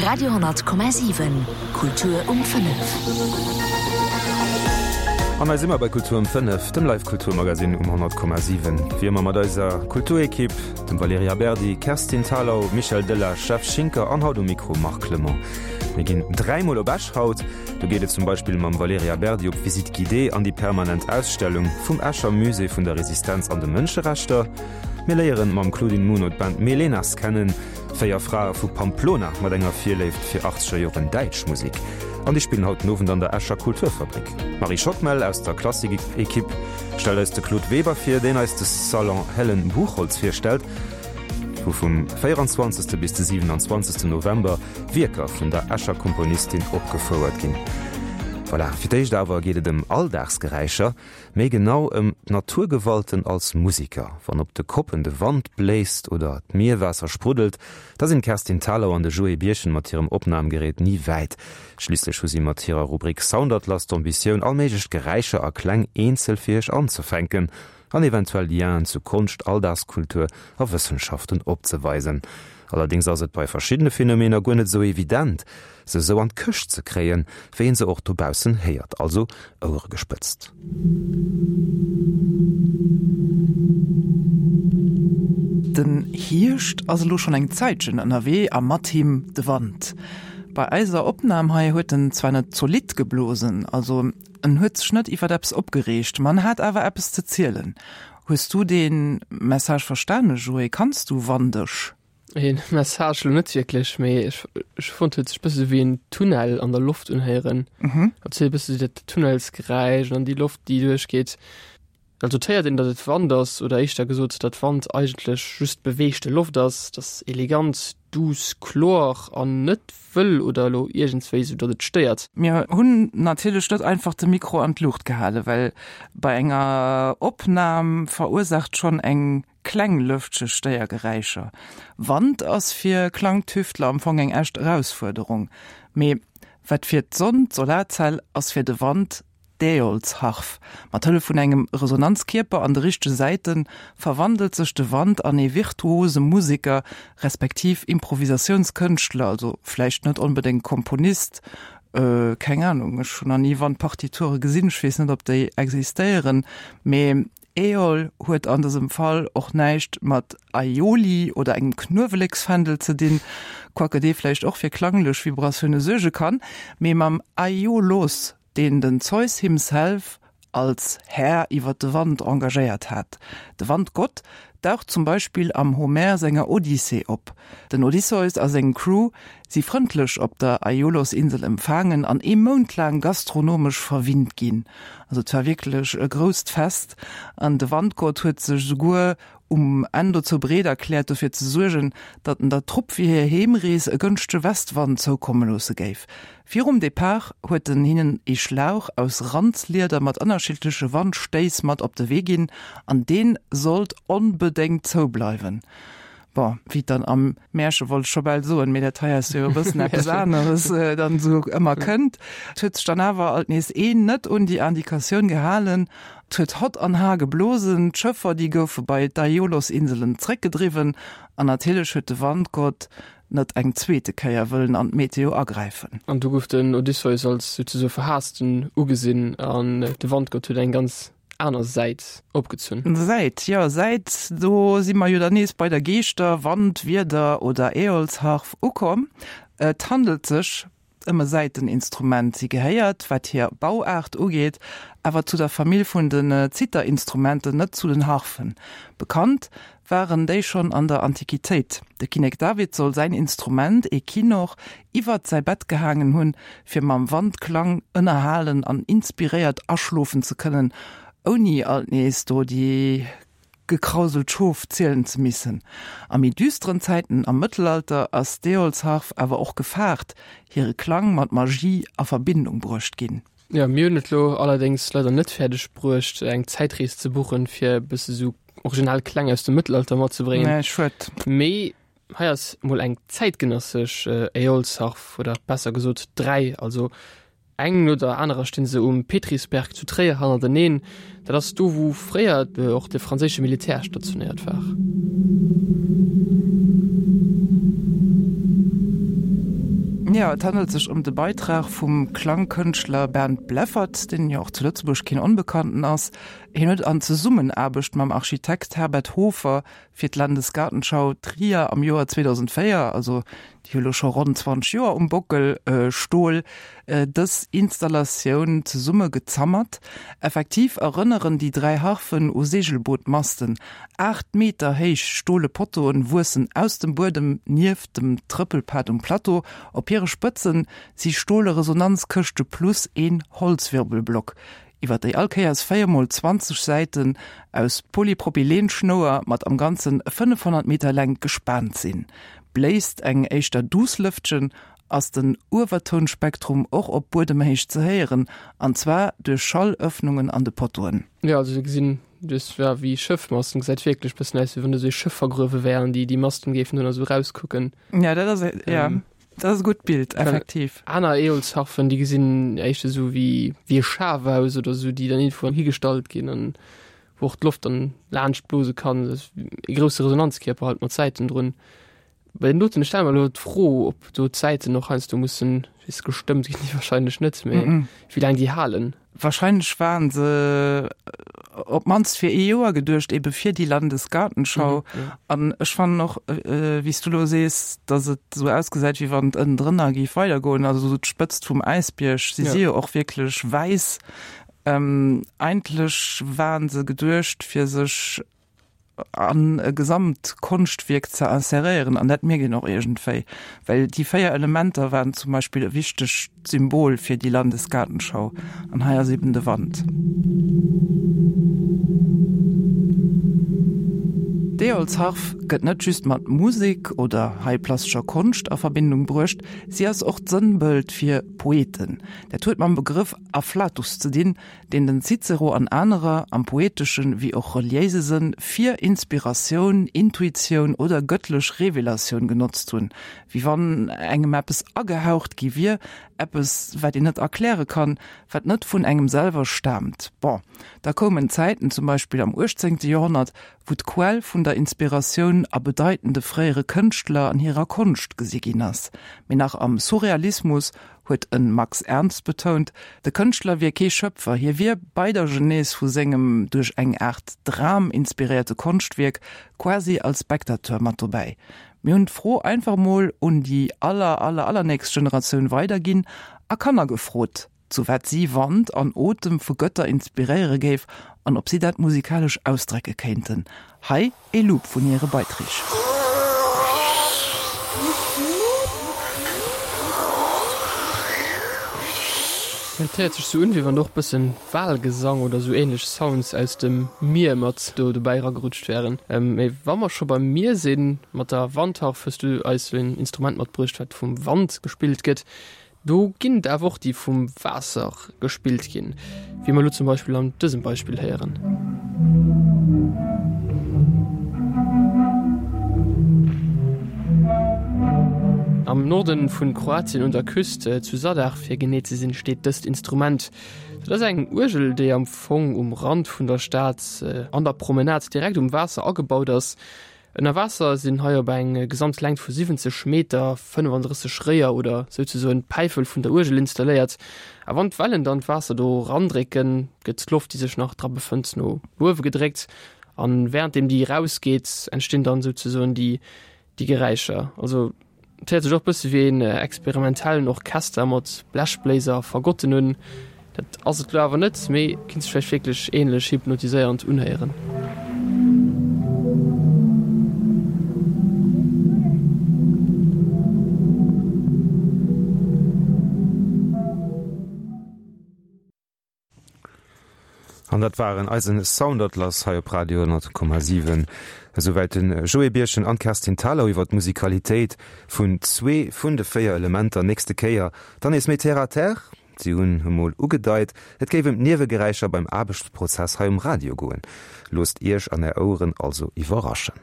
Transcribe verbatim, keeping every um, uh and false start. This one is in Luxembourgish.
Radio honnert Komma siwen, Kultur um fënnef. An hei si mer bei Kultur um fënnef, dem Live-Kulturmagasinn um honnert Komma siwen. Wéi ëmmer mat eiser Kulturekipp, dem Valerija Berdi, Kerstin Thalau, Michel Delage, Jeff Schinker an haut um Mikro Marc Clement. Mir ginn dräimol op Esch haut. Do geet et zum Beispill mam Valerija Berdi op Visite guidée an déi permanent Ausstellung vum Escher Musée vun der Resistenz an de Mënscherechter. Mir léieren mam Claudine Muno d'Band Melenas kennen, véier Frae vu Pamplona mat enger Virléift fir achtzeger Joren däitsch Musek. An déi spillen haut den Owend an der Escher Kulturfabrik. D'Marie Schockmel aus der Klassik-Ekipp stellt eis de Claude Weber vir, deen eis de Salon Helen Buchholtz virstellt, wou vum véieranzwanzegste bis de siwenanzwanzegste November Wierker vun der Escher Komponistin opgefouert ginn. Voilà, fir d'éischt awer geet et ëm Alldagsgeräischer. Méi genau ëm d'Naturgewalten als Musiker. Wann op de Koppen de Wand bléist oder d'Mierwaasser spruddelt, da sinn d'Kerstin Thalau an de Joé Birchen mat hirem Opnamgerät ni wäit. Schliisslech hu si mat hirer Rubrik Soundatlas d'Ambitioun, all méiglech Geräischer a Kläng eenzel fir iech anzefänken an eventuell Lienen zu Konscht, Alldagskultur a Wëssenschaften opzeweisen. Allerdéngs ass et bei verschiddene Phänomener guer net esou evident, se esou an d'Këscht ze kréien, wéi een se och dobaussen héiert. Also Ouere gespëtzt. Den Hierscht ass elo schonn eng Zäitchen ënnerwee a mat him de Wand. Bei eiser Opnam hei huet en zwar net zolidd geblosen, also en huet sech net iwwert eppes opgereegt, ma en hat awer eppes ze zielen. Hues du dee Message verstane, Joé? Kanns du Wandesch? Een Message lo net wierklech, mee ech ech fonnt huet sech bësse wéi en Tunnel an der Loft unhéieren. Mhm. Also e bësse dat Tunnelsgeräisch an déi Loft déi duerchgeet. Also et héiert een, datt et Wand ass, oder éischter gesot, datt Wand eigentlech just beweegte Loft ass, dat ass elegant, duuss, kloer an net wëll oder elo iergendswéi sou datt et stéiert. Mir hunn natierlech net einfach de Mikro an d'Luucht gehalen, well bei enger Opnam verursaacht schonn eng kleng Lëftche Stéiergeräischer. Wand ass fir Klangtüftler am Fong eng echt Erausfuerderung. Mee wat fir d'Sonn d'Solarzell ass fir de Wand d'Äolsharf. Mat Hëllef vun engem Resonanzkierper an de richtege Säite verwandelt sech de Wand an ee virtuose Museker, respektiv Improvisatiounskënschtler, also vläicht net onbedéngt Komponist, keng Anung, ech hunn nach ni Wandpartiture gesinn, ech weess net, ob déi existéieren, mee Äol huet an dësem Fall och näischt mat Aioli oder engem Knueweleksfändel ze dinn, quoique dee vläicht och fir klanglech Vibratioune suerge kann, mee mam Aiolos, deen den Zeus himself als Här iwwer de Wand engagéiert hat. De Wandgott daucht zum Beispill am Homer senger Odyssee op. Den Odysseus a seng Crew si frëndlech op der Aiolos-Insel empfaangen an ee Mount laang gastronomesch verwinnt ginn. Also et war wierklech e grousst Fest an de Wandgott huet sech esouguer um Enn dozou bereet erkläert, dofir ze suergen, datt en der Trupp fir hir Heemrees e gënschtege Westwand zoukomme loosse géif. Virum Depart huet en hinnen ee Schlauch aus Randslieder mat ënnerschiddleche Wandstéiss mat op de Wee ginn, an dee sollt onbedéngt zoubleiwen. Bon, wéi et dann am Märche, wollt ech scho bal soen, mee dat hei ass jo e bëssen eppes aneres, dann esou ëmmer kënnt. Et huet sech dann awer alt nees een net un déi Indikatioun gehalen. Et huet hott an har geblosen, d'Schëffer, déi goufe bei d'Aiolos-Inselen zréckgedriwwen an natierlech huet de Wandgott net eng zweete Kéier wëllen an d'Meteo agräifen. An du gouf den Odysseus als souzesoe Verhaassten ugesinn an de Wandgott huet eng ganz aner Säit opgezunn. Säit, jo Säit, do si mer jo dann nees bei der Geeschter-, Wand-, Wieder oder Äolsharf ukomm. Et handelt sech ëm e Säiteninstrument. Si gehéiert, wat hir Bauaart ugeet, awer zu der Famill vun den Zitterinstrumenten, net zu den Harfen. Bekannt waren déi schonn an der Antiquitéit. De Kinnek David soll säin Instrument, ee Kinnor, iwwert säi Bett gehaangen hunn, fir mam Wandklang ënnerhalen an inspiréiert aschlofen ze kënnen, ouni alt nees do déi gekrauselt Schof zielen ze missen. A méi düsteren Zäiten am Mëttelalter ass d'Äolsharf awer och gefaart hire Klang mat Magie a Verbindung bruecht ginn. Jo, mir hunn et lo allerdéngs leider net fäerdeg bruecht eng Zäitrees ze buchen, fir e bësse sou original Kläng aus dem Mëttelalter matzebréngen. Nee, schued. Mee hei ass mol eng zäitgenëssesch Äolsharf, oder besser gesot dräi, also Eng no der anerer stinn se um Petrisberg zu Tréier hannerteneen. Dat ass do, wou fréier och de franséische Militär stationéiert war. Jo, et handelt sech ëm de Beitrag vum Klangkënschtler Bernd Bleffert, deen jo och zu Lëtzebuerg keen Onbekannten ass. Hien huet an Zesummenaarbecht mam Architekt Herbert Hofer fir d'Landesgartenschau Trier am Joer zweedausendvéier, also déi hu lo scho ronn zwanzeg Joer um Bockel, Stol, dës Installatioun zesumme gezammert. Effektiv erënneren déi dräi Harfen u Seegelbootmasten. Aacht Meter héich stole Pottoen wuessen aus dem Buedem nieft dem Trëppelpad um Plateau. Op hire Spëtzen si stole Resonanzkëschte plus een Holzwirbelblock, iwwer déi all Kéiers véier mol zwanzeg Säiten aus Polypropylenschnouer mat am Ganzen fënnefhonnert Meter Längt gespaant sinn. Bléist eng éischter duuss Lëftchen, ass den Uewertounspektrum och op Buedemhéicht ze héieren, an zwar duerch Schallëffnungen an de Pottoen. Jo, also se gesinn duerch, ja, wéi Schëffmasten, gesäit wierklech bëssen aus, wéi wann do sou ee Schëff vergruewe wär an déi déi Masten géifen do nach sou rauskucken. Ja, dat ass, ja, dat ass e gutt Bild, effektiv. Aner Eolsharfen, déi gesinn éischter sou wéi wéi e Schaf aus oder sou, déi dann iergendwou higestallt ginn an wou och d'Loft dann laanscht blose kann. Dat ass e grousse Resonanzkierper halt mat Säiten drun. Bei den doten, ech stelle mer elo d'Fro, ob do d'Säiten och heiansdo mussen, weess, gestëmmt ginn, déi wahrscheinlech net, mee wéi laang déi halen. Wahrscheinlech waren se op d'mannst fir ee Joer geduecht, ebe fir déi Landesgartenschau. An ech fannen och, wéi s du elo sees, datt et esou ausgesäit, wéi wann et ënnendrënner géif weidergoen, also esou d'Spëtzt vum Äisbierg. Si si jo och wierklech wäiss. Eigentlech waren se geduecht, fir sech an e Gesamtkonschtwierk ze inseréieren, an dat mierkt een och iergendwéi, well déi véier Elementer waren zum Beispill e wichtegt Symbol fir déi Landesgartenschau, an hei ass eben de Wand. D'Eolsharf gëtt net just mat Musek oder hei plastescher Konscht a Verbindung bruecht, si ass och d'Sënnbëld fir Poeten. Dat huet mam Begrëff Afflatus ze dinn, deen den Cicero an anerer, am poeteschen wéi och reliéise Sënn, fir Inspiratioun, Intuitioun oder gëttlech Revelatioun genotzt hunn, wéi wann engem eppes agehaucht gi wier, eppes, wat een net erkläre kann, wat net vun engem selwer staamt. Bon, da koumen Zäiten, zum Beispill am uechtzéngte Joerhonnert, wou d'Quell vun der Inspiratioun a bedeitende fréiere Kënschtler an hirer Konscht gesi ginn ass. Mee nach am Surrealismus huet e Max Ernst betount, de Kënschtler wier kee Schöpfer, hie wier bei der Genese vu sengem duerch eng Aart Dram inspiréierte Konschtwierk quasi als Spectateur mat dobäi. Mir hunn d'Fro einfach mol un déi aller aller allernächst Generatioun weiderginn a Kanner gefrot, zu wat si Wand an Otem vu Gëtter inspiréiere géif an ob si dat musikalesch ausdrecke kéinten. Hei ee Loop vun hire Beiträg. Et héiert sech sou un, wéi wann do och bëssen Walgesang oder sou ähnlech Sounds aus dem Mier mat do dobäi eragerutscht wären. Mee wa mer scho beim Mier sinn, mat der Wandharf hues du eis sou een Instrument matbruecht, wat vum Wand gespillt gëtt. Do ginn et awer och, déi vum Waasser gespillt ginn, wéi mer elo zum Beispill an dësem Beispill héieren. Am Norden vun Kroatien un der Küst, zu Zadar fir genee ze sinn, steet dëst Instrument. Dat ass eng Uergel, déi am Fong um Rand vun der Stad an der Promenade direkt um Waasser agebaut ass. Ënner Waasser sinn hei op eng gesamt Längt vu siwwenzeg Meter fënnefandrësseg Réier oder souzesoen Päifel vun der Uergel installéiert. A wann d'Wellen dann d'Waasser do erandrécken, gëtt d'Loft, déi sech nach dra befënnt, no uewe gedréckt. An wärenddeem déi erausgeet, entstinn dann souzesoen déi Geräischer. Also Et héiert sech och bësse wéi een experimentellen Orchester mat Blechbléiser a Fagotten un. Dat ass et lo awer net, mee kinnt sech vläicht wierklech ähnlech hypnotiséierend unhéieren. An dat waren eisen Soundatlas hei op Radio honnert Komma siwen. Esouwäit de Joé Birchen an d'Kerstin Thalau iwwer d'Musikalitéit vun zwee vun de véier Elementer. Nächste Kéier dann nees méi terre à terre. Si hunn emol ugedeit, et géif ëm d'Niewegeräischer beim Aarbechtsprozess hei um Radio goen. Loosst Iech an Är Oueren also iwwerraschen.